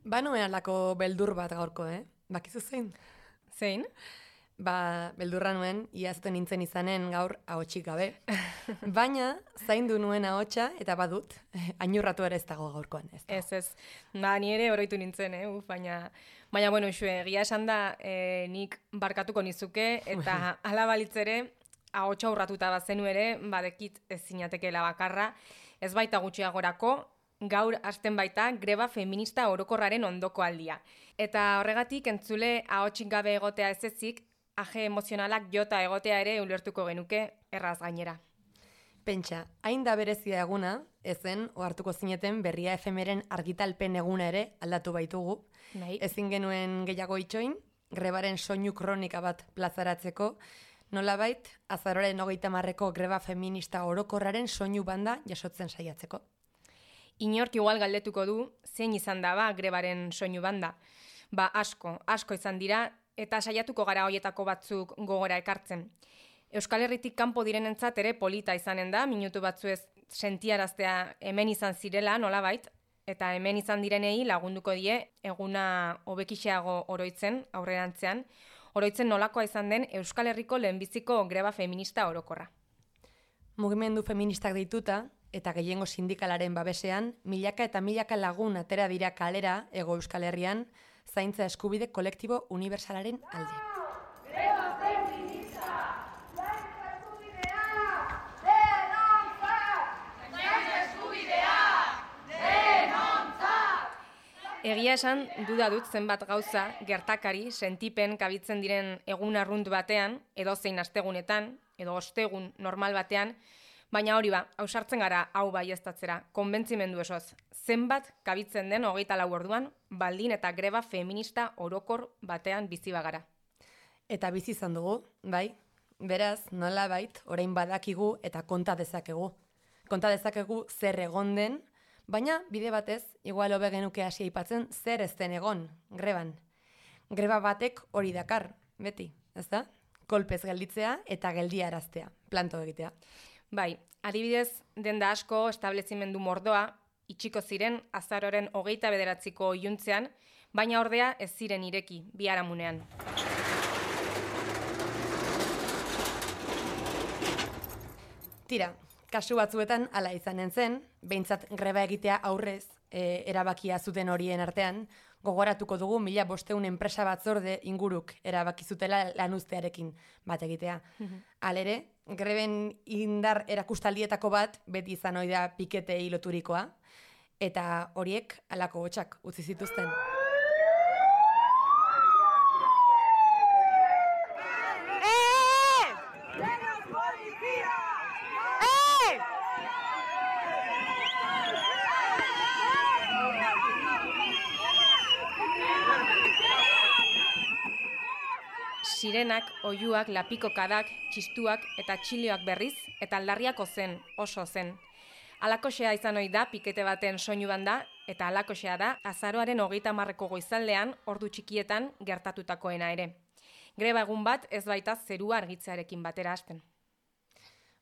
Banuen alako beldur bat gaurko, Bakizu zein? Zein? Beldurra nuen, iazten nintzen izanen gaur ahotsik gabe. Baina, zaindu nuen ahotsa eta badut, ainurratu ere ez dago gaurkoan. Ez. Ni ere oroitu nintzen, baina bueno, egia esan da, nik barkatuko nizuke, eta hala balitzere, ahotsa urratuta bazenu ere, badekit ez zinatekeela bakarra, ez baita gutxiagorako, gaur hasten baita greba feminista orokorraren ondoko aldia. Eta horregatik entzule ahotsik gabe egotea ez ezik, aje emozionalak jota egotea ere ulertuko genuke erraz gainera. Pentsa, hain da berezia eguna, ezen, ohartuko zineten berria efemeren argitalpen eguna ere aldatu baitugu. Nahi. Ezin genuen gehiago itxoin, grebaren soinu kronika bat plazaratzeko, nolabait, azaroaren 30-ko greba feminista orokorraren soinu banda jasotzen saiatzeko. Inork igual galdetuko du, zein izan da grebaren soinu banda. Asko izan dira, eta saiatuko gara hoietako batzuk gogora ekartzen. Euskal Herritik kanpo direnentzat ere polita izanen da, minutu batzuez sentiaraztea hemen izan zirela nolabait, eta hemen izan direnei lagunduko die eguna hobekixeago oroitzen aurrerantzean, oroitzen nolakoa izan den Euskal Herriko lehenbiziko greba feminista orokorra. Mugimendu feministak deituta, eta gehiengo sindikalaren babesean, milaka eta milaka lagun atera dira kalera Hego Euskal Herrian, zaintza eskubide kolektibo unibertsalaren alde. Greba feminista! Zaintza eskubidea! Denontzat! Zaintza eskubidea! Denontzat! Egia esan, duda dut zenbat gauza, gertakari, sentipen kabitzen diren egun arrunt batean, edo zein astegunetan, edo ostegun normal batean, baina hori ausartzen gara hau baieztatzera, konbentzimendu esoz. Zenbat kabitzen den 24 orduan, baldin eta greba feminista orokor batean bizi bagara. Eta bizi izan dugu, bai? Beraz, nolabait, orain badakigu eta konta dezakegu. Konta dezakegu zer egon den, baina bide batez, igual hobe genuke hasi aipatzen zer ez den egon, greban. Greba batek hori dakar, beti, ezta? Kolpez gelditzea eta geldiaraztea, planto egitea. Bai, adibidez, denda asko establezimendu mordoa, itxiko ziren azaroren 29ko iluntzean, baina ordea ez ziren ireki, biharamunean. Tira, kasu batzuetan hala izanen zen, behintzat greba egitea aurrez erabakia zuten horien artean, gogoratuko dugu 1500 enpresa batzorde inguruk erabaki zutela lanuztearekin bat egitea. Halere, greben indar erakustaldietako bat beti izan ohi da piketei loturikoa, eta horiek halako hotsak utzi zituzten. Sirenak, oihuak, lapikokadak, txistuak eta txilioak berriz, eta aldarriako zen, oso zen. Alakoxea izan ohi da pikete baten soinu banda, eta alakoxea da azaroaren 30ko goizaldean ordu txikietan gertatutakoena ere. Greba egun bat ez baita zerua argitzearekin batera hasten.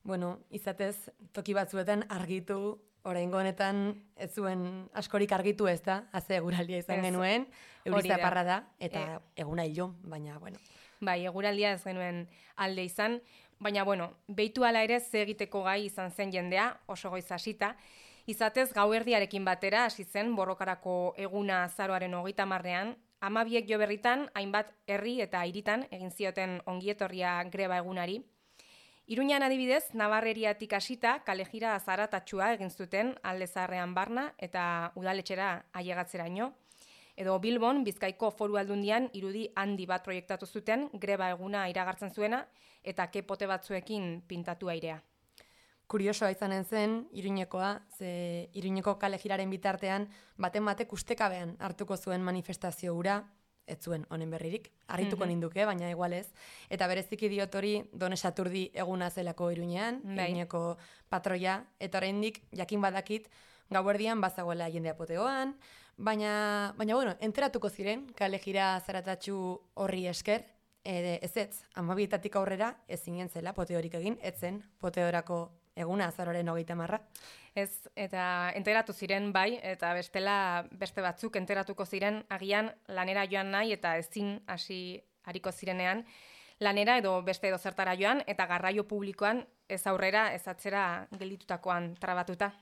Bueno, izatez, toki batzuetan argitu, oraingo honetan ez zuen askorik argitu ez da, haze eguraldia izan genuen, euriza parra da, eta eguna hilo, baina, bueno. Bai, eguraldia ez genuen alde izan, baina, bueno, behitu ala ere ze egiteko gai izan zen jendea, oso goiz hasita, izatez gauerdiarekin batera hasi zen borrokarako eguna azaroaren 30ean, 12 jo berritan, hainbat herri eta hiritan egin zioten ongietorria greba egunari. Iruñan adibidez, Nabarreriatik hasita kalejira zaratatxua egin zuten Alde Zaharrean barna eta udaletxera ailegatzeraino. Edo Bilbon, Bizkaiko Foru Aldundian irudi handi bat proiektatu zuten greba eguna iragartzen zuena eta kepote batzuekin pintatu airea. Kuriosoa izanen zen, Iruñekoa, ze Iruñeko kalejiraren bitartean baten batek ustekabean hartuko zuen manifestazio hura, ez zuen honen berririk, harrituko ninduke, baina igual ez. Eta bereziki diot hori Done Saturdi eguna zelako Iruñean, Iruñeko patroia, eta oraindik jakin badakit gauerdian bazagoela jendea poteoan, baina bueno, enteratuko ziren kalejira zaratatxu horri esker, ez, 12 aurrera ez zinen zela poteorik egin, ez zen poteorako eguna azaroaren 30. Ez, eta enteratu ziren bai, eta bestela beste batzuk enteratuko ziren agian lanera joan nahi eta ezin hasi hariko zirenean lanera edo beste edo zertara joan eta garraio publikoan ez aurrera ez atzera gelditutakoan trabatuta.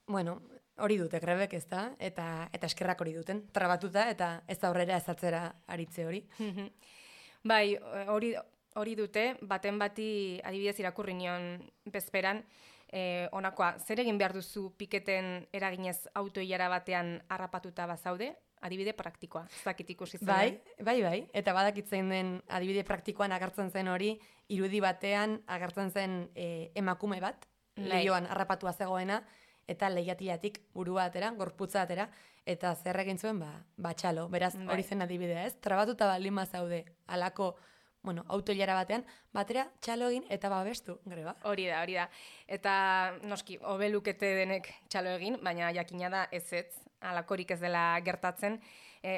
Bueno, hori dute grebek, ez da? Eta eskerrak hori duten, trabatuta eta ez aurrera ez atzera aritze hori. Bai, hori dute, baten bati adibidez irakurri nion bezperan, honakoa, zer egin behar duzu piketen eraginez autoilara batean harrapatuta bazaude? Adibide praktikoa, ez dakit ikusi zen. Bai, eta badakitzen den adibide praktikoan agertzen zen hori, irudi batean agertzen zen emakume bat, lehioan harrapatua zegoena, eta lehiatilatik burua atera, gorputza atera, eta zer egin zuen, txalo, beraz hori zen adibidea, ez? Trabatuta baldin bazaude alako autoilara batean, batera txalo egin eta babestu, greba. Hori da. Eta noski, hobelukete denek txalo egin, baina jakina da ez, alakorik ez dela gertatzen.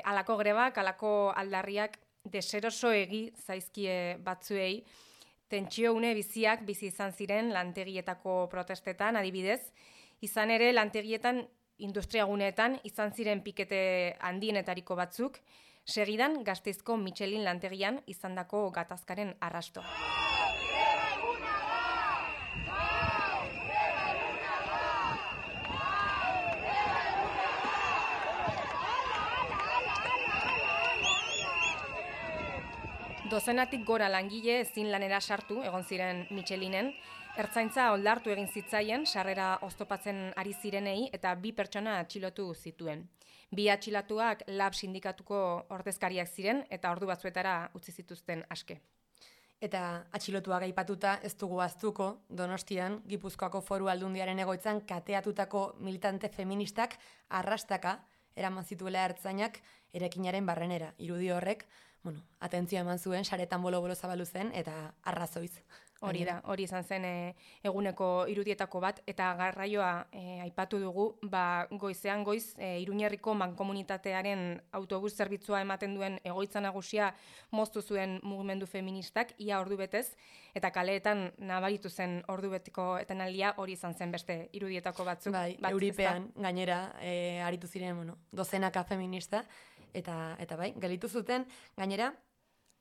Alako grebak, alako aldarriak deseroso egi zaizkie batzuei, tentsio une biziak bizi izan ziren lantegietako protestetan, adibidez, izan ere lantegietan industriaguneetan izan ziren pikete handienetariko batzuk, segidan Gasteizko Michelin lantegian izandako gatazkaren arrasto. Dozenatik gora langile ezin lanera sartu egon ziren Michelinen, ertzaintza oldartu egin zitzaien sarrera oztopatzen ari zirenei eta 2 pertsona atxilotu zituen. 2 atxilatuak lab sindikatuko ordezkariak ziren eta ordu batzuetara utzi zituzten aske. Eta atxilotuak aipatuta ez dugu ahaztuko Donostian, Gipuzkoako Foru Aldundiaren egoitzan kateatutako militante feministak arrastaka eraman zituela ertzainak eraikinaren barrenera. Irudi horrek, atentzioa eman zuen, saretan bolo-bolo zabalu zen eta arrazoiz. Hori izan zen eguneko irudietako bat, eta garraioa aipatu dugu, goizean goiz Iruñerriko mankomunitatearen autobus zerbitzua ematen duen egoitza nagusia moztu zuen mugimendu feministak, ia ordu betez, eta kaleetan nabaritu zen ordu betiko etenaldia hori izan zen beste irudietako batzuk. Bai, Euripean gainera aritu ziren, dozenaka feminista, eta bai, gelitu zuten, gainera,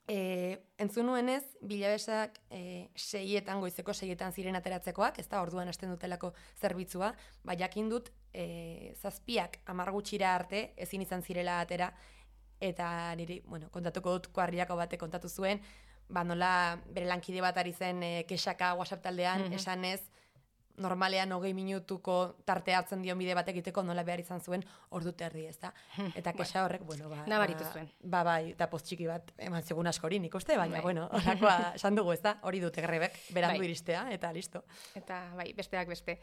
entzun nuenez, bilabesak 6etan, goizeko 6etan ziren ateratzekoak, ez da, orduan hasten dutelako zerbitzua, jakin dut, 7 amargutxira arte ezin izan zirela atera, eta niri, kontatuko dut kuarriako bate kontatu zuen, nola bere lankide bat ari zen kexaka WhatsApp taldean, esanez, normalean 20 minutuko tarte hartzen dion bide bat egiteko nola behar izan zuen ordu terdi, ez da? Eta kexa horrek, nabaritu zuen. Bai, eta post txiki bat eman segun askori nik uste, baina, horakoa esan dugu, ez da? Hori dute grebek, berandu iristea, eta listo. Eta, besteak beste.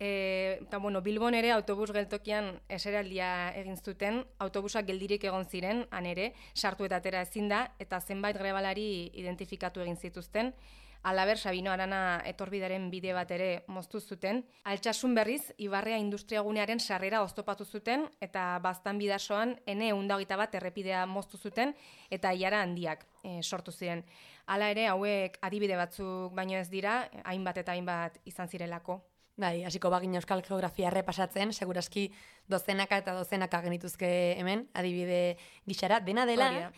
Eta, Bilbon ere autobus geltokian eseraldia egin zuten, autobusak geldirik egon ziren, han ere, sartu eta atera ezin da, eta zenbait grebalari identifikatu egin zituzten. Alaber, Sabino Arana etorbidaren bide bat ere moztu zuten. Altsasun berriz, Ibarrea industriagunearen sarrera oztopatu zuten, eta Baztan bidasoan N121 errepidea moztu zuten, eta ilara handiak sortu ziren. Hala ere, hauek adibide batzuk baino ez dira, hainbat eta hainbat izan zirelako. Bai, hasiko bagina euskal geografia errepasatzen, segurazki dozenaka eta dozenaka genituzke hemen, adibide gixara, dena dela,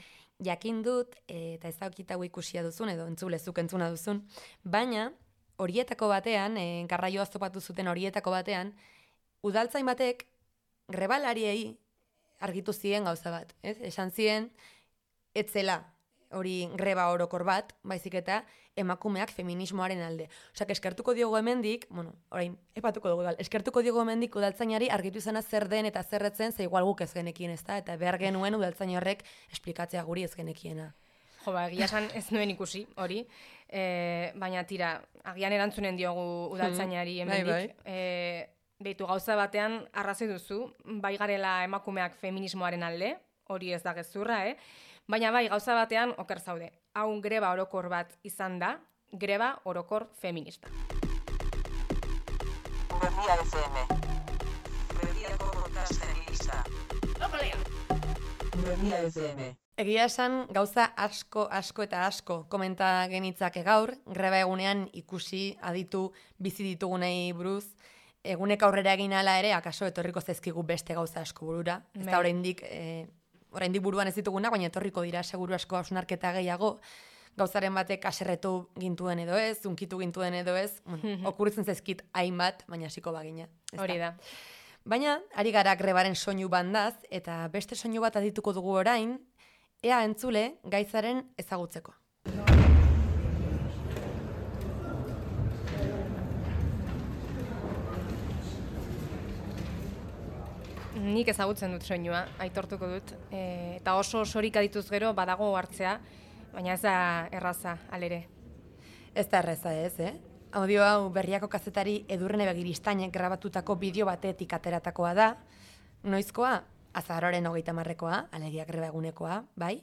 jakin dut, eta ez daukitago ikusia duzun, edo entzulezuk entzuna duzun, baina horietako batean, garraio oztopatu zuten horietako batean, udaltzain batek grebalariei argitu ziren gauza bat, ez? Esan ziren, etzela hori greba orokor bat, baizik eta emakumeak feminismoaren alde. Osak, eskertuko diogu hemendik, orain, epatuko dugu, eskertuko diogu hemendik udaltzainari argitu izana zer den eta zerretzen, ze igual guk ez genekien, ez da? Eta behar genuen udaltzain horrek esplikatzea guri ez genekiena. Egia esan ez nuen ikusi, hori, baina tira, agian erantzunen diogu udaltzainari hemendik. Beitu gauza batean arrazoi duzu, bai garela emakumeak feminismoaren alde, hori ez da gezurra, baina bai gauza batean oker zaude. Hau greba orokor bat izan da, greba orokor feminista. Berria FM. Berriako podcast feminista. Berria FM. Egia esan, gauza asko eta asko komenta genitzake gaur, greba egunean ikusi aditu bizi ditugunei buruz, egunek aurrera egin ala ere, akaso etorriko zaizkigu beste gauza asko burura. Ez da oraindik buruan ez dituguna, baina etorriko dira seguru asko hausnarketa gehiago, gauzaren batek aserretu gintuen edo ez, unkitu gintuen edo ez, okurritzen zaizkit hainbat, baina hasiko bagina. Hori da. Baina, ari gara grebaren soinu bandaz, eta beste soinu bat adituko dugu orain, ea entzule gaitzaren ezagutzeko. Nik ezagutzen dut soinua, aitortuko dut. Eta oso osorik adituz gero badago hartzea, baina ez da erraza, alere. Ez da erraza ez, Audio hau Berriako kazetari Edurne Begiristainek grabatutako bideo batetik ateratakoa da. Noizkoa? Azaroaren 30-ekoa, alegia greba egunekoa, bai?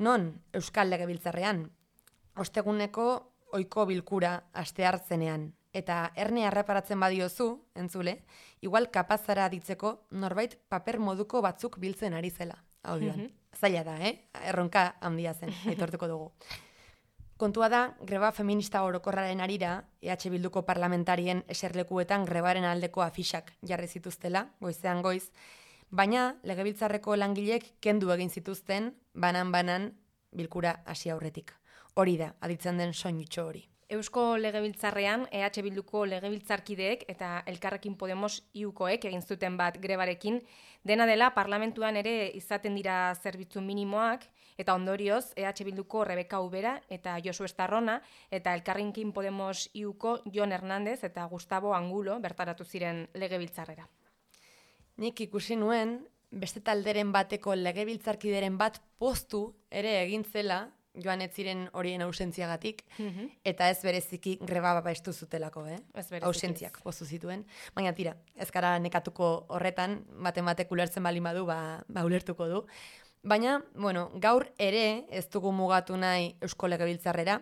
Non, Euskal Legebiltzarrean, osteguneko ohiko bilkura asteartzenean, eta erne erreparatzen badiozu, entzule, igual kapazara ditzeko norbait paper moduko batzuk biltzen ari zela, audioan. Zaila da, Erronka handia zen, aitortuko dugu. Kontua da, greba feminista orokorraren arira, EH Bilduko parlamentarien eserlekuetan grebaren aldeko afixak jarri zituztela, goizean goiz, baina legebiltzarreko langilek kendu egin zituzten banan bilkura hasi aurretik. Hori da, aditzen den soinutxo hori. Eusko Legebiltzarrean EH Bilduko legebiltzarkideek eta Elkarrekin Podemos iukoek egin zuten bat grebarekin, dena dela parlamentuan ere izaten dira zerbitzu minimoak, eta ondorioz EH Bilduko Rebeka Ubera eta Josu Estarrona eta Elkarrekin Podemos iuko Jon Hernández eta Gustavo Angulo bertaratu ziren legebiltzarrera. Nik ikusi nuen, beste talderen bateko legebiltzarkideren bat postu ere egin zela, joan ez ziren horien ausentziagatik, eta ez bereziki greba babestu zutelako, ausentziak postu zituen. Baina tira, ez gara nekatuko horretan, batek ulertzen baldin badu, ulertuko du. Baina, gaur ere ez dugu mugatu nahi Eusko Legebiltzarrera,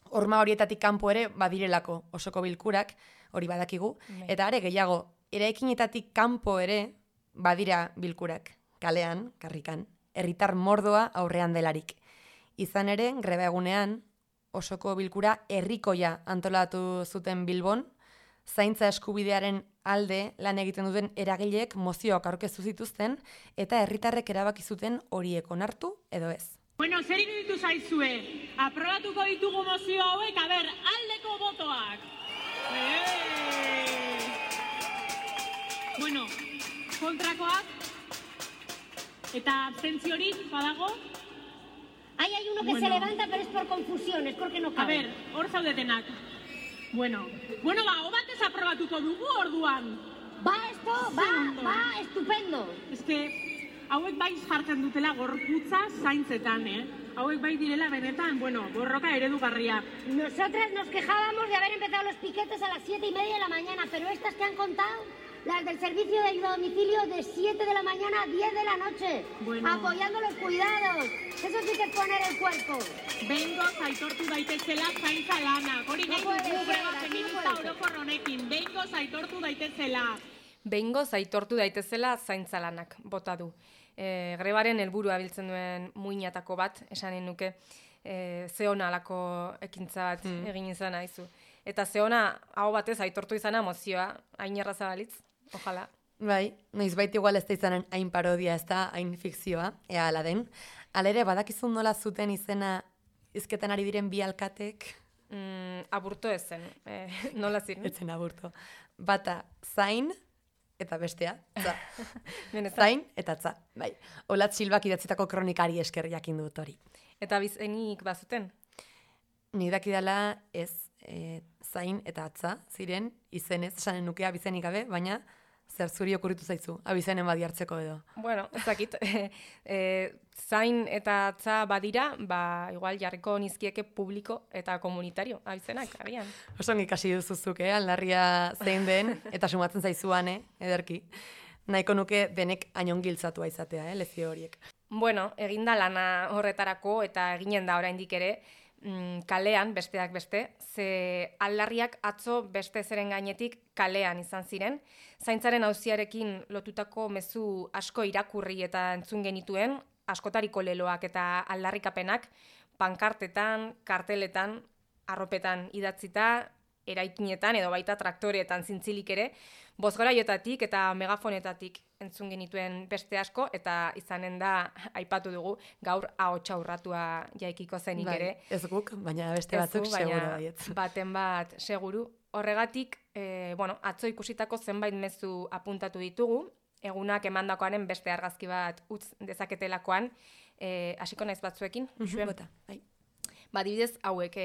horma horietatik kanpo ere badirelako osoko bilkurak, hori badakigu, eta are gehiago, eraikinetatik kanpo ere badira bilkurak, kalean, karrikan, herritar mordoa aurrean delarik. Izan ere, greba egunean, osoko bilkura herrikoia antolatu zuten Bilbon, zaintza eskubidearen alde lan egiten duten eragileek mozioak aurkeztu zituzten, eta herritarrek erabaki zuten horiek onartu edo ez. Bueno, zer iruditu zaizue? Aprobatuko ditugu mozio hauek, aldeko botoak. Bueno, kontrakoak eta abstentziorik badago? Hay uno que se levanta, pero es por confusión, es porque no cabe. Hor zaudetenak. Bueno, hau batez aprobatuko dugu orduan. Va, estupendo. Es que hauek bai jartzen dutela gorputza zaintzetan, Hauek bai direla benetan, borroka eredugarria. Nosotras nos quejábamos de haber empezado los piquetes a las 7:30 de la mañana, pero estas que han contado, las del servicio de ayuda a domicilio, de 7 de la mañana a 10 de la noche, apoyando los cuidados. Eso sí que es poner el cuerpo. Behingoz aitortu daitezela zaintza lanak. Hori nahi dugu greba feminista orokor honekin. Behingoz aitortu daitezela. Behingoz aitortu daitezela zaintza lanak, bota du. Grebaren helburua biltzen duen muinatako bat, esanen nuke, zeona alako ekintza bat egin izan aizu. Eta zeona hau batez aitortu izana mozioa, hain erraza balitz, ojala. Bai, noizbait igual ez da izanen hain parodia, ez da hain fikzioa, ea ala den. Alere, badakizun nola zuten izena izketan ari diren bi alkatek? Aburto ez zen, nola ziren? Ez zen aburto. Bata, zain, eta bestea, tza. Zain eta tza, bai. Olat Silbak idatzitako kronikari esker jakin dut hori. Eta bizenik bazuten? Nik dakidala ez, zain eta atza ziren, izenez, esanen nukea bizenik gabe, baina zer zuri okurritu zaizu, abizenen badi hartzeko edo. Bueno, ez dakit, zain eta atza badira, igual jarriko nizkieke publiko eta komunitario, abizenak, agian. Osongi ikasi duzuzuk, aldarria zein den, eta sumatzen zaizuan, ederki. Nahiko nuke denek ainon giltzatua izatea, lezio horiek. Bueno, eginda lana horretarako eta eginen da oraindik ere, kalean, besteak beste, ze aldarriak atzo beste zeren gainetik kalean izan ziren. Zaintzaren auziarekin lotutako mezu asko irakurri eta entzun genituen, askotariko leloak eta aldarrikapenak pankartetan, karteletan, arropetan idatzita, eraikinetan edo baita traktoreetan zintzilik ere, bozgoraietatik eta megafonetatik entzun genituen beste asko, eta izanen da, aipatu dugu, gaur ahotsa urratua jaikiko zenik ere. Ez guk, baina beste batzuk seguru baietz. Baten bat seguru. Horregatik, atzo ikusitako zenbait mezu apuntatu ditugu, egunak emandakoaren beste argazki bat utz dezaketelakoan, hasiko naiz batzuekin. Bota, bai. Adibidez, hauek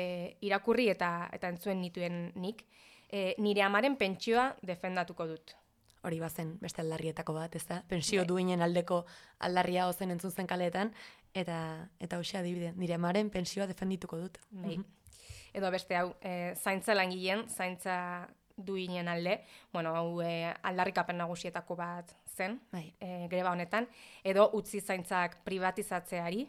irakurri eta entzuen nituen nik, nire amaren pentsioa defendatuko dut. Hori bazen beste aldarrietako bat, ez da? Pentsio duinen aldeko aldarria ozen entzun zen kaleetan, eta hoxe adibide, nire amaren pentsioa defendituko dut. Edo beste hau, zaintza langileen, zaintza duinen alde, hau aldarrikapen nagusietako bat zen, greba honetan, edo utzi zaintzak privatizatzeari.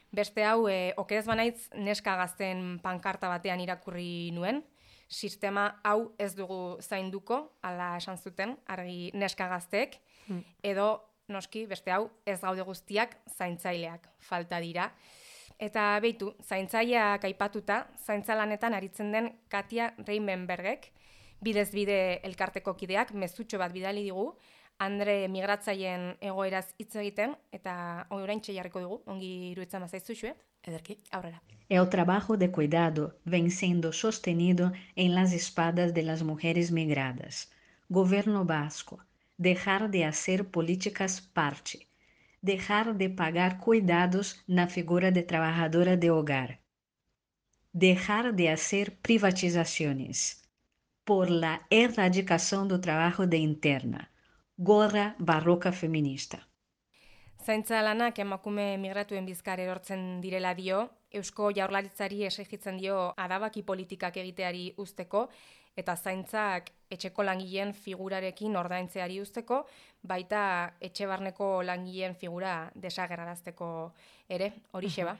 Beste hau, okerez banaitz neska gazten pankarta batean irakurri nuen, sistema hau ez dugu zainduko, ala esan zuten, argi neska gazteek, edo noski, beste hau, ez gaude guztiak zaintzaileak falta dira. Eta behitu, zaintzaileak aipatuta, zaintzalanetan aritzen den Katia Reimenbergek, bidez bide elkarteko kideak, mezutxo bat bidali digu, Andre migratzaien egoeraz hitz egiten, eta oraintxe jarriko dugu, ongi iruditzen bazaizu xue. Ederki, aurrera. El trabajo de cuidado ven siendo sostenido en las espaldas de las mujeres migradas. Gobierno vasco, dejar de hacer políticas parte, dejar de pagar cuidados na figura de trabajadora de hogar, dejar de hacer privatizaciones, por la erradicación do trabajo de interna, gorra barroca feminista. Zaintza lanak emakume migratuen bizkar erortzen direla dio, Eusko Jaurlaritzari exijitzen dio adabaki politikak egiteari uzteko, eta zaintzak etxeko langileen figurarekin ordaintzeari uzteko, baita etxe barneko langileen figura desagerrarazteko ere, horixe ba.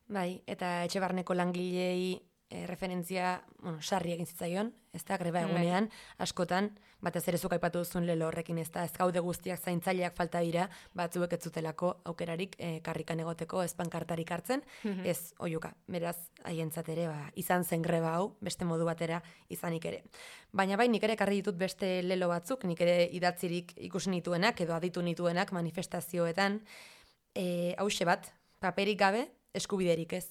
Bai, eta etxe barneko langileei referentzia, sarri egin zitzaion, ez da, greba egunean, askotan, batez ere zuk aipatu duzun lelo horrekin, ez da, ez gaude guztiak zaintzaileak falta dira, batzuek ez zutelako aukerarik karrikan egoteko ez pankartarik hartzen, ez oiuka, beraz, haientzat ere, izan zen greba hau, beste modu batera izanik ere. Baina bai, nik ere ekarri ditut beste lelo batzuk, nik ere idatzirik ikusi nituenak, edo aditu nituenak manifestazioetan, hause bat, paperik gabe, eskubiderik ez.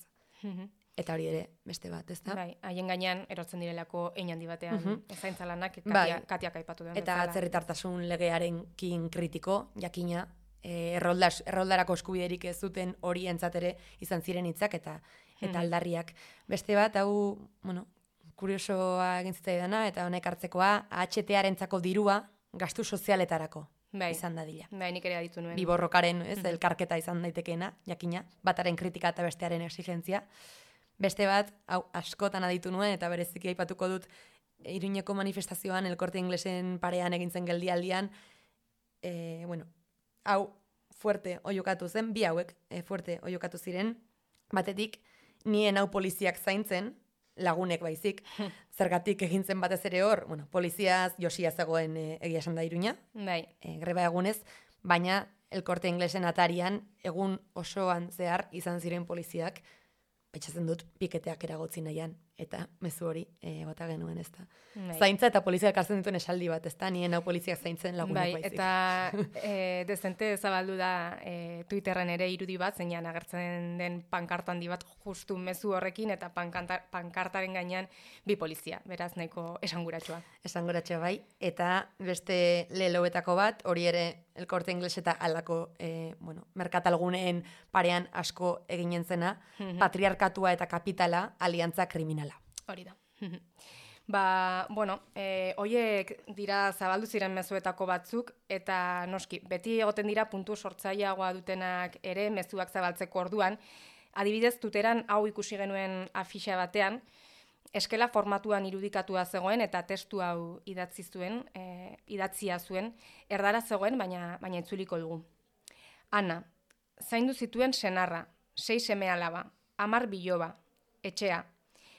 Eta hori ere, beste bat, ez da? Bai, haien gainean erortzen direlako hein handi batean, zaintza lanak Katiak aipatu duen. Eta atzerritartasun legearenkin kritiko, jakina, erroldarako eskubiderik ez zuten hori entzatere izan ziren hitzak eta aldarriak. Beste bat, hau, kuriosoa egin zitzaidana, eta honek hartzekoa, AHT-arentzako dirua gastu sozialetarako. Izan dadila. Bai, nik ere aditu nuen. Biborrokaren, elkarketa izan daitekeena, jakina, bataren kritika eta bestearen exigentzia. Beste bat, hau askotan aditu nuen, eta bereziki aipatuko dut, Iruñeko manifestazioan, El Corte Inglesen parean egintzen geldialdian, hau fuerte oiokatu zen, bi hauek fuerte oiokatu ziren, batetik, nien hau poliziak zaintzen, lagunek baizik, zergatik egintzen batez ere hor, poliziaz josia zegoen egia esan da Iruña, greba egunez, baina El Corte Inglesen atarian, egun osoan zehar izan ziren poliziak, etxatzen dut piketeak eragotzi nahian, eta mezu hori bota genuen, ez da. Zaintza eta polizia elkartzen dituen esaldi bat, ez da, nien hau poliziak zaintzen lagunak baizik. Eta dezente zabaldu da Twitterren ere irudi bat, zeinan agertzen den pankarta handi bat justu mezu horrekin, eta pankartaren gainean bi polizia, beraz nahiko esanguratsua. Esanguratsua bai, eta beste leloetako bat, hori ere El Corte Inglés eta alako merkatalguneen parean asko eginen zena, patriarkatua eta kapitala aliantza kriminala. Hori da. Hoiek dira zabaldu ziren mezuetako batzuk, eta noski, beti egoten dira puntu sortzaileagoa dutenak ere mezuak zabaltzeko orduan. Adibidez, Twitteran hau ikusi genuen afixa batean, eskela formatuan irudikatua zegoen eta testu hau idatzia zuen, erdara zegoen, baina itzuliko dugu. Ana, zaindu zituen senarra, 6 seme-alaba, 10 biloba, etxea.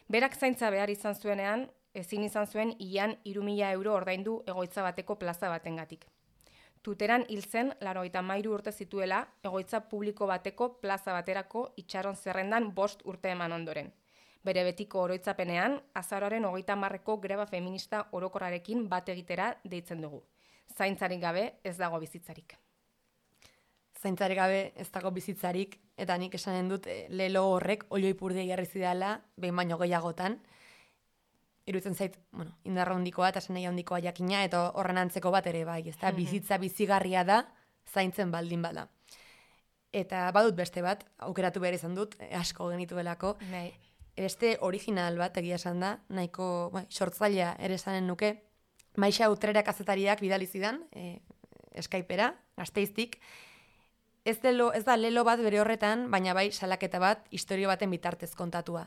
Berak zaintza behar izan zuenean, ezin izan zuen ian 3.000 euro ordaindu egoitza bateko plaza batengatik. Tuteran hil zen 93 urte zituela, egoitza publiko bateko plaza baterako itxaron zerrendan 5 urte eman ondoren. Bere betiko oroitzapenean, azaroaren 30ko greba feminista orokorrarekin bat egitera deitzen dugu. Zaintzarik gabe ez dago bizitzarik. Zaintzarik gabe ez dago bizitzarik, eta nik esanen dut lelo horrek olio ipurdea jarri zidala, behin baino gehiagotan. Iruditzen zait, indarra handikoa eta esan nahi handikoa jakina, eta horren antzeko bat ere bai, ez da, bizitza bizigarria da, zaintzen baldin bada. Eta badut beste bat, aukeratu behar izan dut, asko genituelako. Nahi. Beste original bat egia esan da, nahiko sortzailea ere esanen nuke, Maixa Utrera kazetariak bidali zidan, Skypera, Gasteiztik. Ez da lelo bat bere horretan, baina bai salaketa bat, istorio baten bitartez kontatua.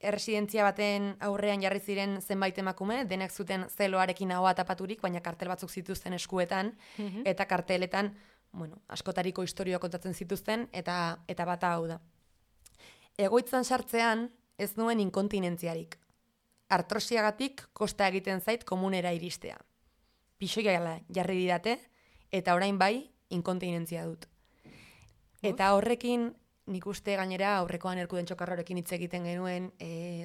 Erresidentzia baten aurrean jarri ziren zenbait emakume, denak zuten zeloarekin ahoa tapaturik, baina kartel batzuk zituzten eskuetan, eta karteletan, askotariko istorioa kontatzen zituzten, eta bata hau da. Egoitzan sartzean ez nuen inkontinentziarik. Artrosiagatik kosta egiten zait komunera iristea. Pixoia jarri didate, eta orain bai inkontinentzia dut. Eta horrekin, nik uste gainera aurrekoan Erkuden Txokarrorekin hitz egiten genuen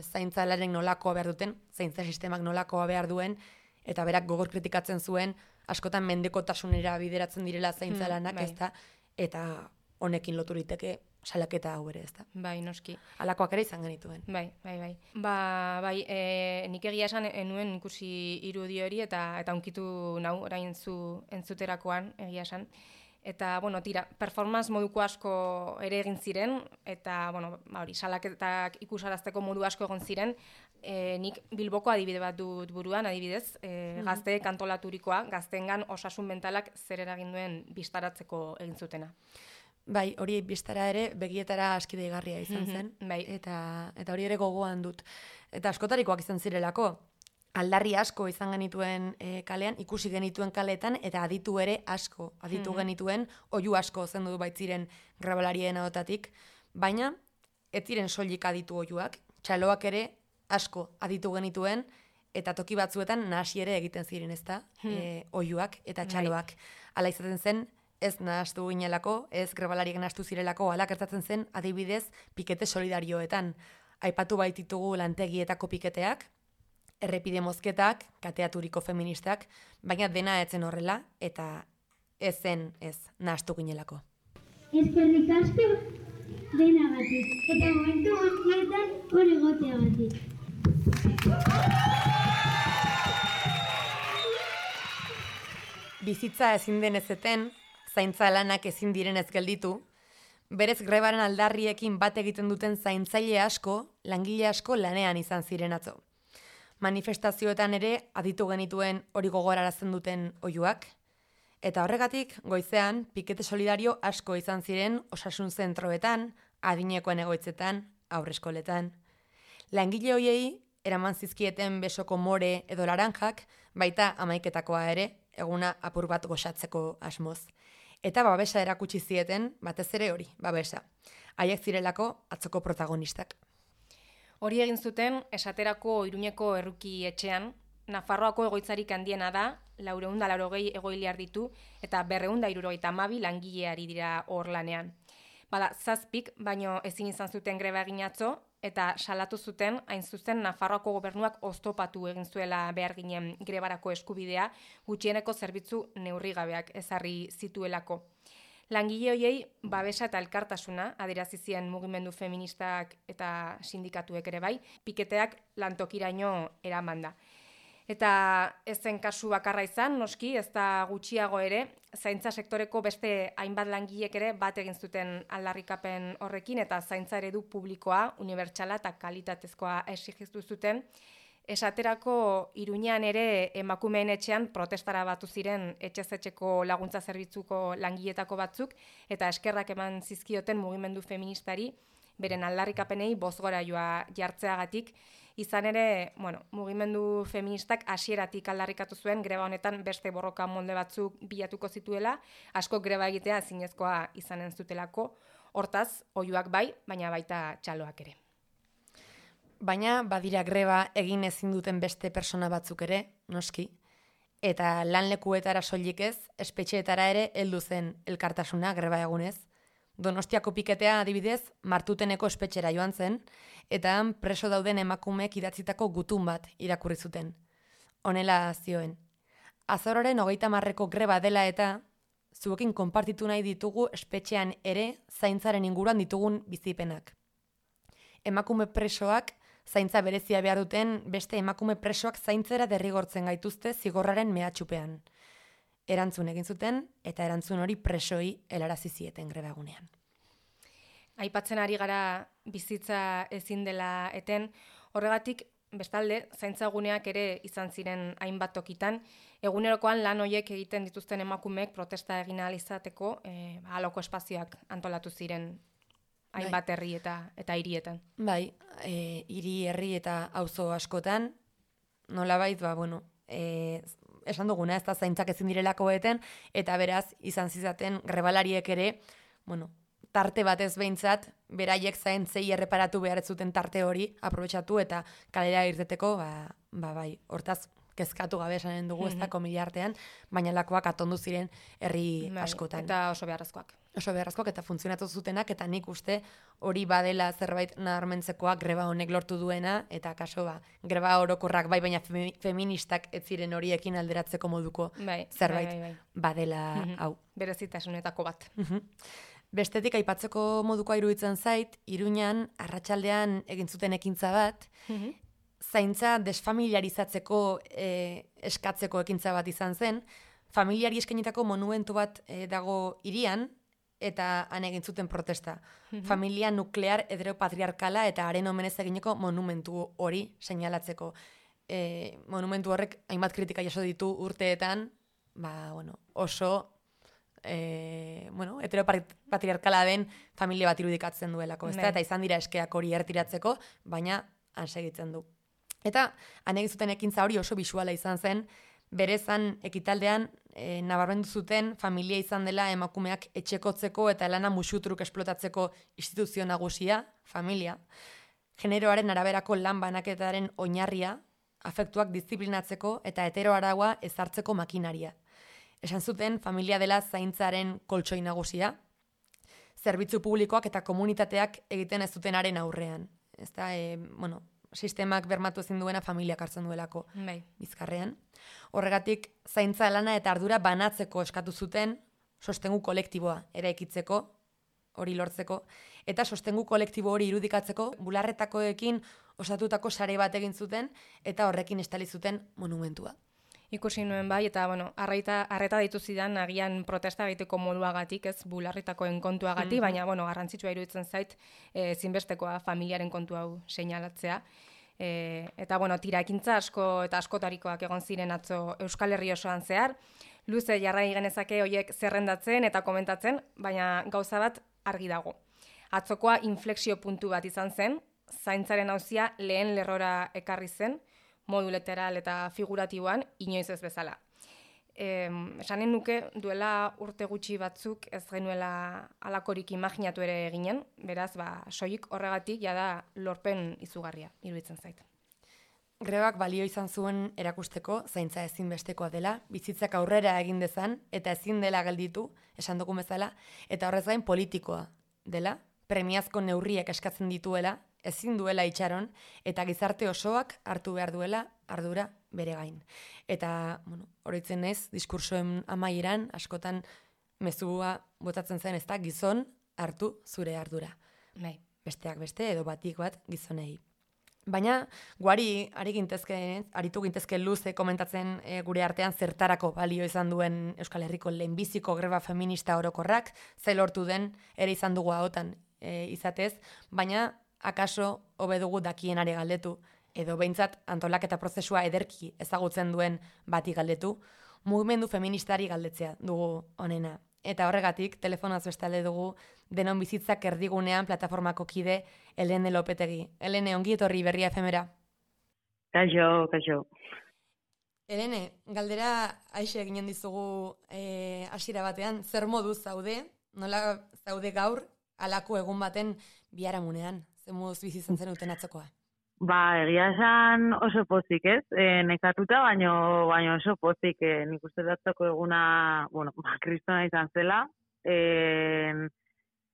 zaintzalaren nolakoa behar duten, zaintza sistemak nolakoa behar duen, eta berak gogor kritikatzen zuen, askotan mendekotasunera bideratzen direla zaintzalanak, ezta, eta honekin loturiteke salaketa hau ere, ezta. Bai, noski. Alakoak ere izan genituen. Bai. Nik egia esan enuen ikusi irudi hori eta unkitu nau orain zu entzuterakoan egia esan. Eta, tira, performance moduko asko ere egin ziren, eta, salaketak ikusarazteko modu asko egon ziren, nik Bilboko adibide bat dut buruan, adibidez, gazteek antolaturikoa, gazteengan osasun mentalak zer eragin duen bistaratzeko egin zutena. Bai, hori bistara ere begietara aski deigarria izan zen, bai. eta hori ere gogoan dut. Eta askotarikoak izan zirelako, aldarri asko izan genituen kalean, ikusi genituen kaleetan, eta aditu ere asko, aditu genituen, oihu asko zendu baitziren grabalarien ahotatik, baina ez ziren soilik aditu oihuak, txaloak ere asko aditu genituen, eta toki batzuetan nahasi ere egiten ziren, ezta, oihuak eta txaloak. Hala izaten zen, ez nahastu ginelako, ez grabalariek nahastu zirelako, hala gertatzen zen adibidez pikete solidarioetan. Aipatu baititugu lantegietako piketeak, errepide mozketak, kateaturiko feministak, baina dena etzen horrela, eta ez nahastu ginelako. Eskerrik asko denagatik, eta momentu guztietan hori egoteagatik. Bizitza ezin den ezeten, zaintza lanak ezin direnez gelditu, berez grebaren aldarriekin bat egiten duten zaintzaile asko, langile asko lanean izan ziren atzo. Manifestazioetan ere aditu genituen hori gogorarazten duten oihuak, eta horregatik goizean pikete solidario asko izan ziren osasun zentroetan, adinekoen egoitzetan, haurreskoletan. Langile hoiei eraman zizkieten besoko more edo laranjak, baita amaiketakoa ere, eguna apur bat goxatzeko asmoz. Eta babesa erakutsi zieten, batez ere hori, babesa. Haiek zirelako atzoko protagonistak. Hori egin zuten, esaterako Iruñeko erruki etxean, Nafarroako egoitzarik handiena da, 480 egoiliar ditu, eta 272 langileari dira hor lanean. Bada, 7, baino ezin izan zuten greba egin atzo, eta salatu zuten, hain zuzen Nafarroako gobernuak oztopatu egin zuela behar ginen grebarako eskubidea, gutxieneko zerbitzu neurrigabeak ezarri zituelako. Langile hoiei babesa eta elkartasuna adierazi zien mugimendu feministak eta sindikatuek ere bai, piketeak lantokiraino eramanda. Eta ez zen kasu bakarra izan, noski, ez da gutxiago ere, zaintza sektoreko beste hainbat langilek ere bat egin zuten aldarrikapen horrekin, eta zaintza eredu publikoa, unibertsala eta kalitatezkoa exigitu zuten. Esaterako Iruñean ere emakumeen etxean protestara batu ziren etxez-etxeko laguntza zerbitzuko langiletako batzuk, eta eskerrak eman zizkioten mugimendu feministari, beren aldarrikapenei bozgorailua jartzeagatik, izan ere, mugimendu feministak hasieratik aldarrikatu zuen greba honetan beste borroka molde batzuk bilatuko zituela, asko greba egitea ezinezkoa izanen zutelako, hortaz, oihuak bai, baina baita txaloak ere. Baina badira greba egin ezin duten beste persona batzuk ere, noski, eta lanlekuetara soilik ez, espetxeetara ere heldu zen elkartasuna greba egunez. Donostiako piketea adibidez, Martuteneko espetxera joan zen, eta han preso dauden emakumeek idatzitako gutun bat irakurri zuten. Honela zioen. Azaroaren 30 greba dela eta zuekin konpartitu nahi ditugu espetxean ere zaintzaren inguruan ditugun bizipenak. Emakume presoak zaintza berezia behar duten beste emakume presoak zaintzera derrigortzen gaituzte zigorraren mehatxupean. Erantzun egin zuten eta erantzun hori presoi helarazi zieten greba egunean. Aipatzen ari gara bizitza ezin dela eten, horregatik bestalde zaintzaguneak ere izan ziren hainbat tokitan, egunerokoan lan hoiek egiten dituzten emakumeek protesta egin ahal izateko aloko espazioak antolatu ziren hainbat herri eta hirietan. Bai, hiri, herri eta auzo askotan, nolabait, esan duguna, ez da zaintzak ezin direlako eten, eta beraz, izan zizaten grebalariek ere, tarte batez behintzat, beraiek zaintzei erreparatu behar ez zuten tarte hori aprobetxatu eta kalera irteteko, bai, hortaz, kezkatu gabe esanen dugu ez da komilia artean, baina lakoak atondu ziren herri askotan. Eta oso beharrezkoak. Oso beharrezkoak eta funtzionatu zutenak, eta nik uste hori badela zerbait nabarmentzekoa greba honek lortu duena, eta kaso greba orokorrak bai, baina feministak ez ziren horiekin alderatzeko moduko zerbait badela hau. Berezitasunetako bat. Bestetik aipatzeko modukoa iruditzen zait, Iruñan arratsaldean egin zuten ekintza bat, zaintza desfamiliarizatzeko eskatzeko ekintza bat izan zen, familiari eskainitako monumentu bat dago hirian, eta han egin zuten protesta. Familia nuklear heteropatriarkala eta haren omenez egineko monumentu hori seinalatzeko. Monumentu horrek hainbat kritika jaso ditu urteetan, oso heteropatriarkala den familia bat irudikatzen duelako, eta izan dira eskeak hori ertiratzeko, baina han segitzen du. Eta han egin zuten ekintza hori oso bisuala izan zen, berezan ekitaldean nabarmendu zuten familia izan dela emakumeak etxekotzeko eta lana musutruk esplotatzeko instituzio nagusia, familia, generoaren araberako lan banaketaren oinarria, afektuak disiplinatzeko eta heteroaraua ezartzeko makinaria. Esan zuten familia dela zaintzaren koltsoi nagusia, zerbitzu publikoak eta komunitateak egiten ez zutenaren aurrean. Ez da, sistemak bermatu ezin duena familiak hartzen duelako bizkarrean. Horregatik, zaintza lana eta ardura banatzeko eskatu zuten sostengu kolektiboa eraikitzeko, hori lortzeko, eta sostengu kolektibo hori irudikatzeko bularretakoekin osatutako sare bat egin zuten eta horrekin estali zuten monumentua. Ikusi nuen bai, eta arreta ditu zidan agian protesta egiteko moduagatik, ez bularritakoen kontuagatik, baina garrantzitsua iruditzen zait zinbestekoa familiaren kontu hau seinalatzea. Eta tira ekintza asko eta askotarikoak egon ziren atzo Euskal Herri osoan zehar, luze jarrai genezake hoiek zerrendatzen eta komentatzen, baina gauza bat argi dago. Atzokoa inflexio puntu bat izan zen, zaintzaren auzia lehen lerrora ekarri zen, modu literal eta figuratiboan, inoiz ez bezala. Esanen nuke duela urte gutxi batzuk ez genuela alakorik imaginatu ere eginen, beraz, soilik horregatik jada lorpen izugarria, iruditzen zait. Grebak balio izan zuen erakusteko zaintza ezinbestekoa dela, bizitzak aurrera egin dezan eta ezin dela gelditu, esan dugun bezala, eta horrez gain politikoa dela, premiazko neurriak eskatzen dituela, ezin duela itxaron, eta gizarte osoak hartu behar duela ardura bere gain. Eta, oroitzen ez, diskursoen amaieran, askotan mezua botatzen zen ez da, gizon hartu zure ardura. Besteak beste, edo batik bat gizonei. Baina, guari aritu gintezke luze komentatzen gure artean zertarako balio izan duen Euskal Herriko lehenbiziko greba feminista orokorrak, ze lortu den ere izan dugu ahotan izatez, baina akaso hobe dugu dakienare galdetu, edo behintzat antolaketa prozesua ederki ezagutzen duen bati galdetu, mugimendu feministari galdetzea dugu honena. Eta horregatik, telefonaz bestalde dugu Denon Bizitzak Erdigunean plataformako kide Helene Lopetegi. Helene, ongi etorri Berria FMera. Kaixo. Helene, galdera aixe eginen dizugu hasiera batean, zer moduz zaude, nola zaude gaur, halako egun baten biharamunean, zer moduz bizitzen zen uten atzokoa? Egia esan oso pozik, ez? Nekatuta, baino oso pozik. Nik uste datzako eguna, kristona izan zela.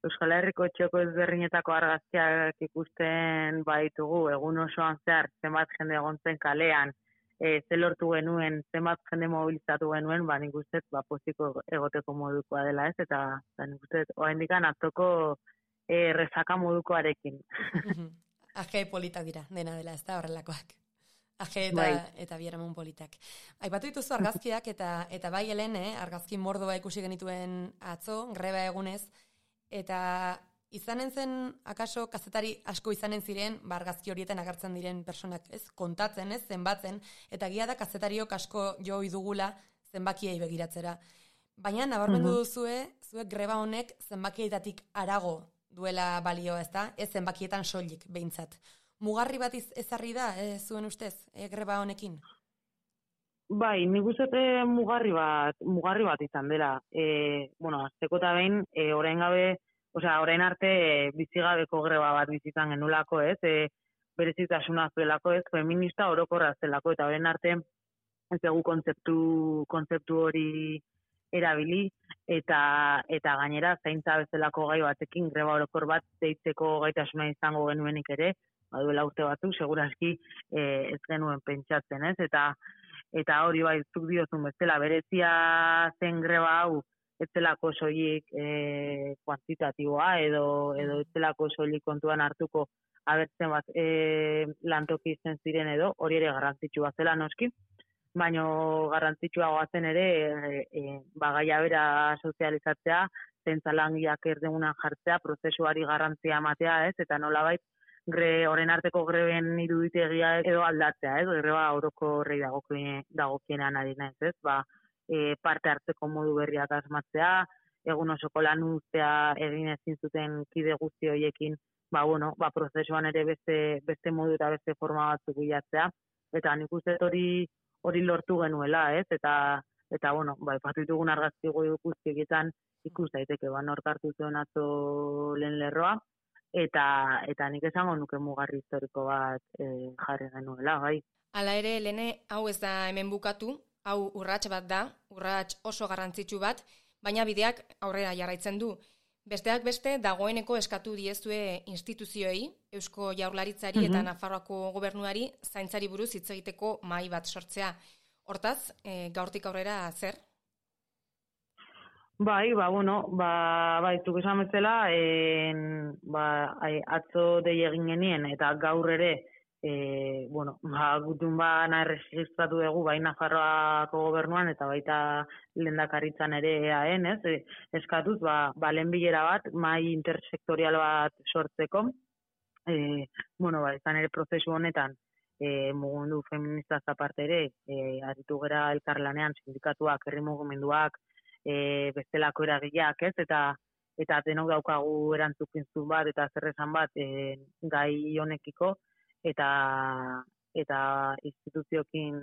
Euskal Herriko txoko ezberdinetako argazkiak ikusten baitugu, egun osoan zehar, zenbat jende egon zen kalean, ze lortu genuen, zenbat jende mobilizatu genuen, nik uste poziko egoteko modukoa dela, ez? Eta nik uste oraindik atzoko rezaka modukoarekin. Aje politak dira, dena dela, ez da horrelakoak. Aje eta bieramun politak. Aipatu dituzu argazkiak eta bai Helen, argazki mordoa ikusi genituen atzo, greba egunez, eta izanen zen, akaso, kazetari asko izanen ziren, argazki horietan agertzen diren personak, ez, kontatzen, ez, zenbatzen, eta gia da kazetariok asko jo dugula zenbakiei begiratzera. Baina, nabarmendu duzue, zuek greba honek zenbakietatik harago duela balioa, ez da? Ez zenbakietan soilik, behintzat. Mugarri bat ezarri da, zuen ustez, greba honekin? Bai, nik uste mugarri bat izan dela. Azteko eta behin, orain arte bizigabeko greba bat bizitzan genulako, ez? Berezitasuna zuelako, ez? Feminista orokorra zelako, eta orain arte ez dugu kontzeptu hori erabili, eta gainera zaintza bezalako gai batekin greba orokor bat deitzeko gaitasuna izango genuenik ere, duela urte batzuk, seguraski ez genuen pentsatzen, ez? Eta hori bai, zuk diozun bezala, berezia zen greba hau, ez zelako soilik kuantitatiboa, edo ez zelako soilik kontuan hartuko abertzen bat lantoki izen ziren edo, hori ere garrantzitsua zela noski, baina garrantzitsuagoa zen ere gaia bera sozializatzea, zentzalangiak erdegunan jartzea, prozesuari garrantzia ematea, ez? Eta nolabait, orain arteko greben iruditegia edo aldatzea, ez? Greba oroko horrei dagokienean ari naiz, ez? Parte hartzeko modu berriak asmatzea, egun osoko lan uztea egin ezin zuten kide guzti horiekin, prozesuan ere beste modu eta beste forma batzuk bilatzea, eta nik uste hori lortu genuela, ez? Eta ipatu ditugun argazki guztietan ikus daiteke, nork hartu zuen atzo lehen lerroa, eta nik esango nuke mugarri historiko bat jarri genuela, bai. Hala ere, Lene, hau ez da hemen bukatu, hau urrats bat da, urrats oso garrantzitsu bat, baina bideak aurrera jarraitzen du. Besteak beste, dagoeneko eskatu diezue instituzioei, Eusko Jaurlaritzari eta Nafarroako gobernuari zaintzari buruz hitz egiteko mahai bat sortzea. Hortaz, gaurtik aurrera zer? Bai, zuk esan bezala, atzo dei egin genien, eta gaur ere, gutun erregistratu dugu, bai Nafarroako gobernuan, eta baita lehendakaritzan ere EAN, ez? Eskatuz, lehen bilera bat, mahai intersektorial bat sortzeko, izan ere prozesu honetan, mugundu feministaz aparte ere, aritu gera elkarlanean, sindikatuak, herri mugimenduak, bestelako eragileak, ez? Eta denok daukagu erantzukizun bat, eta zer esan bat, gai honekiko, eta instituzioekin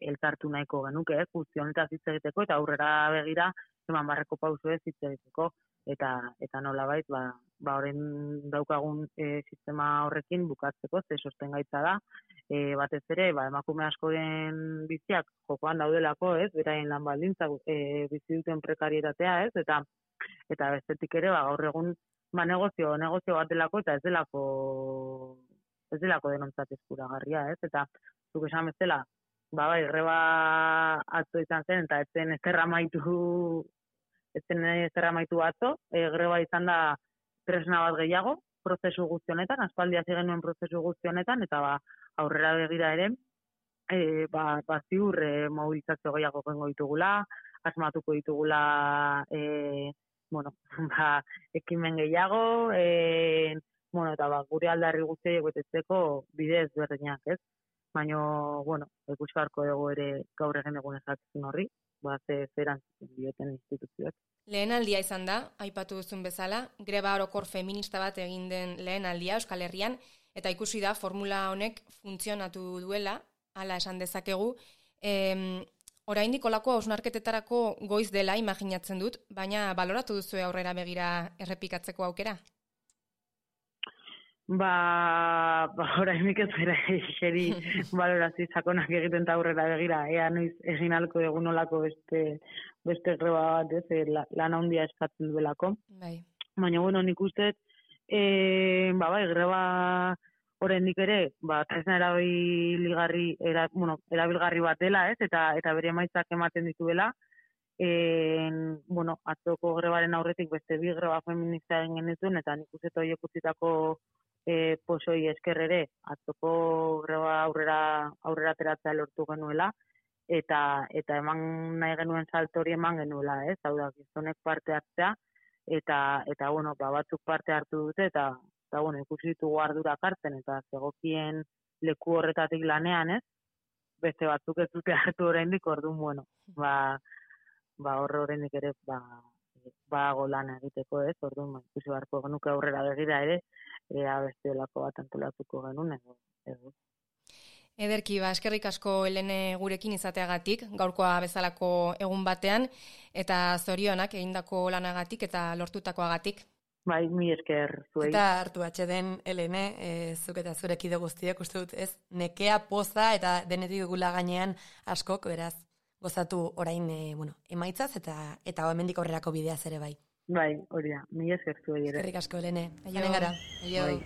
elkartu nahiko genuke, guzti honetaz hitz egiteko, eta aurrera begira, eman barreko pauso ez hitz egiteko, eta nolabait, horren daukagun sistema horrekin bukatzeko, ze sostengaitza da, batez ere, emakume askoren biziak jokoan daudelako, ez, beraien lan baldintzak bizi duten prekarietatea, ez, eta bestetik ere, gaur egun, negozio bat delako, eta ez delako denontzat eskuragarria, ez, eta zuk esan bezala, greba atzo izan zen, eta ez zen ezerra maitu atzo, greba izan da tresna bat gehiago, prozesu guztionetan, aspaldi hasi genuen prozesu guztionetan, eta aurrera begira ere, ziur mobilizazio gehiago gengo ditugula, asmatuko ditugula, ekimen gehiago, eta gure aldarri guztiak betetzeko bide ezberdinak, ez? Baina, ikusi beharko dugu ere gaur egin egun ezatzen horri, zeran dioten instituzioak. Lehen aldia izan da, aipatu duzun bezala, greba orokor feminista bat egin den lehen aldia Euskal Herrian, eta ikusi da formula honek funtzionatu duela, hala esan dezakegu. Oraindik olako hausnarketetarako goiz dela imaginatzen dut, baina baloratu duzu aurrera begira errepikatzeko aukera? Oraindik ez gara xeri balorazio sakonak egiten eta aurrera begira, ea noiz egin alko egun olako beste greba bat, lan handia eskatzen duelako. Bai. Baina, bueno, nik uste, greba oraindik ere, tresna erabilgarri bat dela, ez? Eta bere emaitzak ematen dituela. Atzoko grebaren aurretik beste bi greba feminista egin genituen, eta nik uste horiek utzitako posoi esker ere, atzoko greba aurrera ateratzea lortu genuela, eta eman nahi genuen salto hori eman genuela, ez? Hau da, gizonek parte hartzea, eta batzuk parte hartu dute, eta ikusi ditugu ardurak hartzen, eta zegokien leku horretatik lanean, ez? Beste batzuk ez dute hartu oraindik, orduan, horrendik ere, lan egiteko, ez? Orduan, ikusi beharko genuke aurrera begira ere, ea beste olako bat antolatuko genuen, edo. Ederki, eskerrik asko Helene gurekin izateagatik, gaurkoa bezalako egun batean, eta zorionak egindako lanagatik eta lortutakoagatik. Bai, mi esker zuei. Eta hartu atxeden, Helene, zuk eta zurek ide guztiak, uste dut, ez? Nekea, poza eta denetik dugula gainean askok, beraz, gozatu orain, emaitzaz eta hemendik aurrerako bideaz ere bai. Bai, hori da, mi esker zuei ere. Eskerrik asko, Helene. Aionen gara. Aio. Bai.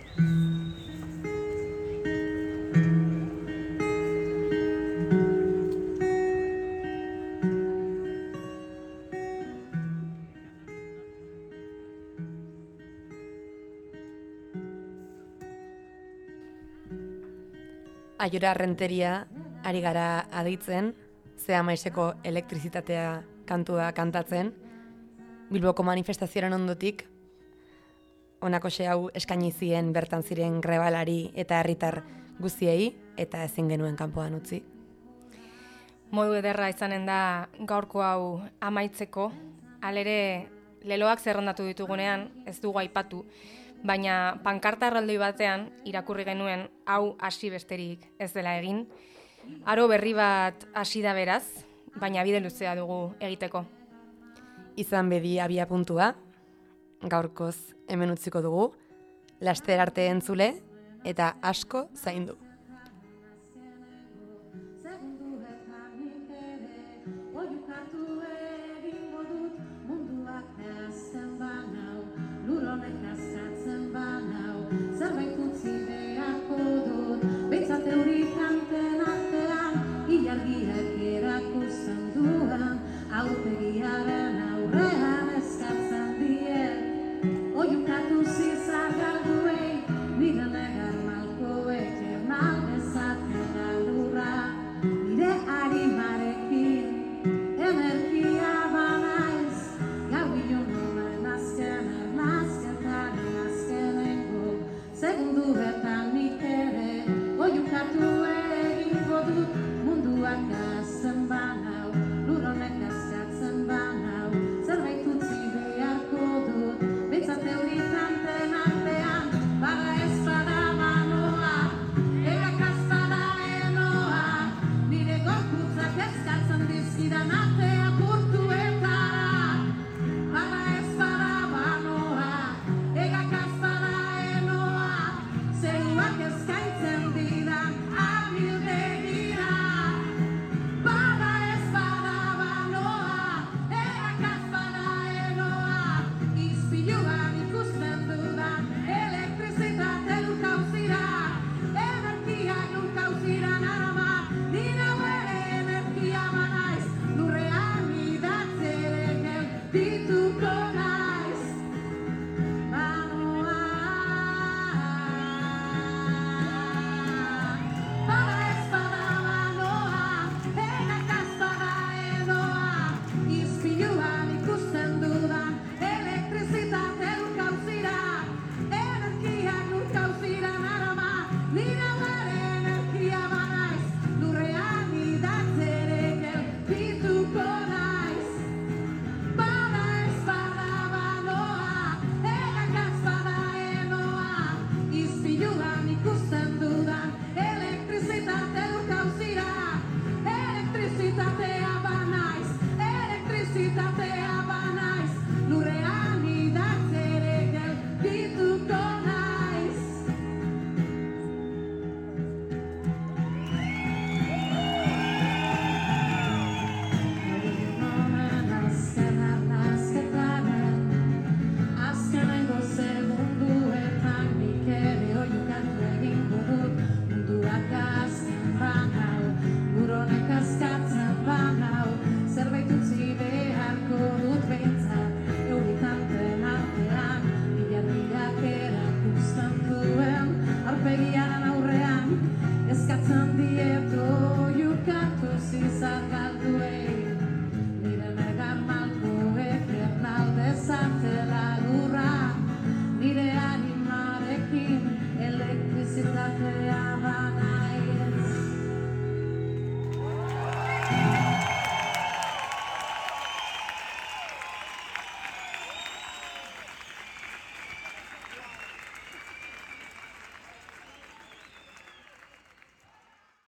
Aiora Renteria ari gara aditzen, Zea Maiseko elektrizitatea kantua kantatzen, Bilboko manifestazioaren ondotik, honako hau eskaini zien bertan ziren grebalari eta herritar guztiei, eta ezin genuen kanpoan utzi. Modu ederra izanen da gaurko hau amaitzeko, halere leloak zerrendatu ditugunean ez dugu aipatu, baina pankarta erraldoi batean irakurri genuen hau hasi besterik ez dela egin. Aro berri bat hasi da beraz, baina bide luzea dugu egiteko. Izan bedi abia puntua, gaurkoz hemen utziko dugu, laster arte entzule eta asko zaindu. Aurpegiaren